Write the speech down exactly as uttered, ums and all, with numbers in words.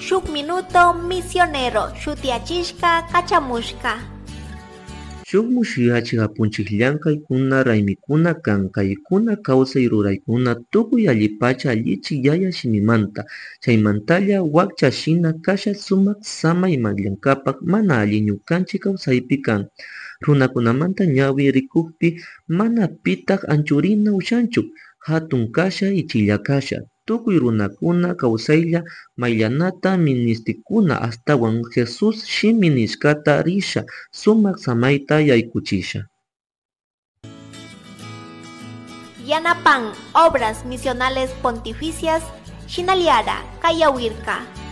Shuk Minuto Misionero shutiyachishka kachamushka. Shuk mushuyachik apunchik llankaykuna raymikuna kan kaykuna kawsay ruraykuna tukuy allipacha allichik yaya shimimanta chaymantalla wakcha shina kasha sumak samay mayllankapak mana alli ñukanchik kawsaypi kan runakunamanta ñawi rikukpi mana pitak anchurina ushanchu hatun kasha ichilla kasha tukuy runakuna kawsaylla mayllanata ministikuna ashtawan Jesús shimi nishkata risha sumak samayta yaykuchisha. Yanapan Obras Misionales Pontificias Shinaliara Kayawirka.